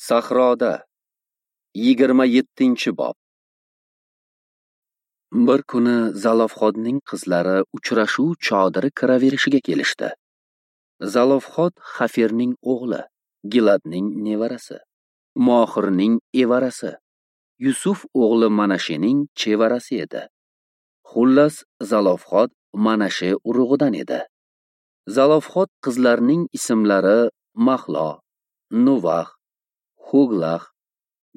Sahroda 27-bob. Bir kuni Zalofxodning qizlari uchrashuv chodiri kiraverishiga kelishdi. Zalofxod Xafirning o'g'li, Giladning nevarasi, Mohirning evarasi, Yusuf o'g'li Manashening chevarasi edi. Xullas, Zalofxod Manashe urug'idan edi. Zalofxod qizlarining ismlari Mahlo, Nuvax, Huglax,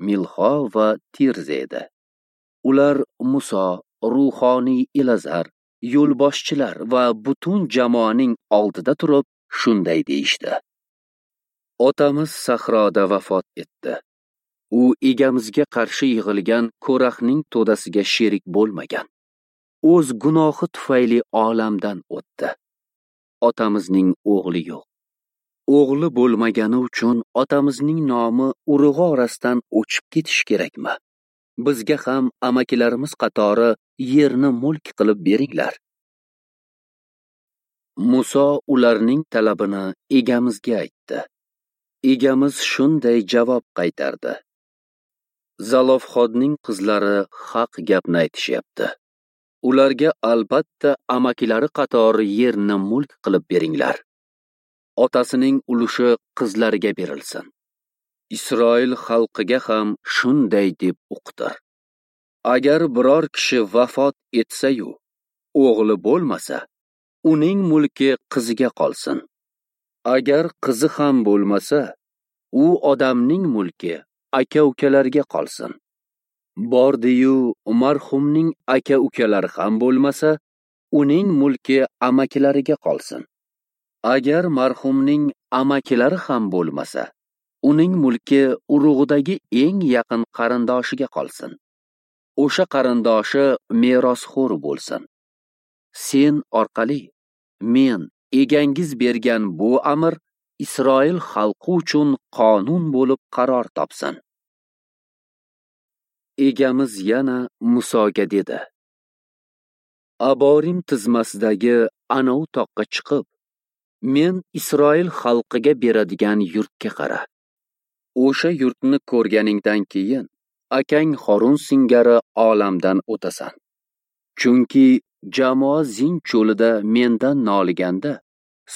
Milho va Tirza edi. Ular Muso, ruhoniy Elazar, yo'lboshchilar va butun jamoaning oldida turib shunday deyishdi: Otamiz sahroda vafot etdi. U egamizga qarshi yig'ilgan Ko'raxning to'dasiga sherik bo'lmagan. O'z gunohi tufayli olamdan o'tdi. Otamizning o'g'li yo'q. O'g'li bo'lmagani uchun otamizning nomi urug'i orasidan o'chib ketishi kerakmi? Bizga ham amakilarimiz qatori yerni mulk qilib beringlar. Muso ularning talabini egamizga aytdi. Egamiz shunday javob qaytardi: Zalofxodning qizlari haq gapni aytishyapti. Ularga albatta amakilari qatori yerni mulk qilib beringlar. Otasining ulushi qizlariga berilsin. Isroil xalqiga ham shunday deb uqtir: Agar biror kishi vafot etsa-yu, o'g'li bo'lmasa, uning mulki qiziga qolsin. Agar qizi ham bo'lmasa, u odamning mulki aka-ukalarga qolsin. Bordi-yu marhumning aka-ukalari ham bo'lmasa, uning mulki amakilariga qolsin. Agar marhumning amakilari ham bo'lmasa, uning mulki urug'idagi eng yaqin qarindoshiga qolsin. O'sha qarindoshi merosxo'r bo'lsin. Sen orqali men egangiz bergan bu amr Isroil xalqi uchun qonun bo'lib qaror topsin. Egamiz yana Musoga dedi: Aborim tizmasidagi anov toqqa chiqib, men Isroil xalqiga beradigan yurtga qara. O'sha yurtni ko'rganingdan keyin akang Horun singari olamdan o'tasan. Chunki jamoa Zin cho'lida mendan noliganda,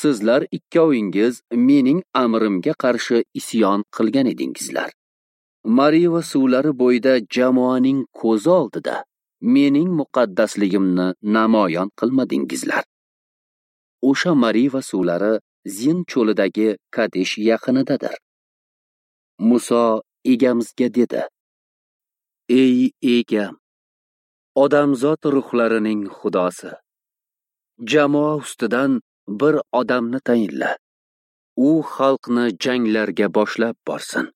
sizlar ikkovingiz mening amrimga qarshi isyon qilgan edingizlar. Mariva suvlari bo'yida jamoaning ko'zi oldida mening muqaddasligimni namoyon qilmadingizlar. O'sha Mariva suvlari Zin cho'lidagi Kadesh yaqinidadir. Muso egamizga dedi: Ey egam, odamzod ruhlarining xudosi, jamoa ustidan bir odamni tayinla. U xalqni janglarga boshlab borsin,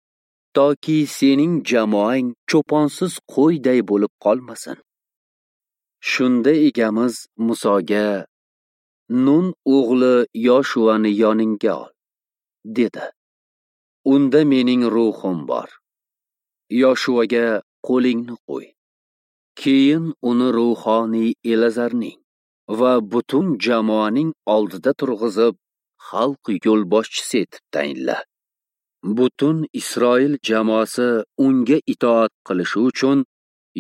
toki sening jamoang cho'ponsiz qo'yday bo'lib qolmasin. Shunda egamiz Musoga: Nun o'g'li Yoshuani yoningga ol, dedi. Unda mening ruhim bor. Yoshuaga qo'lingni qo'y. Keyin uni ruhoniy Elazarning va butun jamoaning oldida turg'izib, xalq yo'lboshchisi etib tayinla. Butun Isroil jamoasi unga itoat qilishi uchun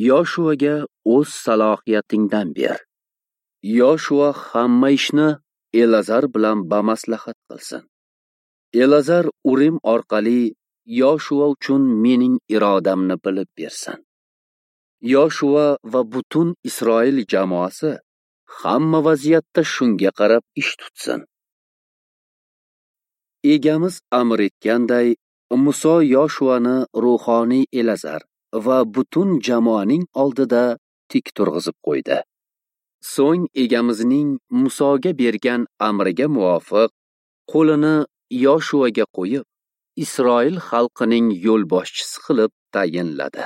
Yoshuaga o'z salohiyatingdan ber. Yoshua hamma ishni Elazar bilan bamaslahat qilsin. Elazar Urim orqali Yoshua uchun mening irodamni bilib bersin. Yoshua va butun Isroil jamoasi hamma vaziyatda shunga qarab ish tutsin. Egamiz amr etganday, Muso Yoshuani ruhoniy Elazar va butun jamoaning oldida tik turg'izib qo'ydi. So'ng egamizning Musoga bergan amriga muvofiq qo'lini Yoshuaga qo'yib, Isroil xalqining yo'lboshchisi qilib tayinladi.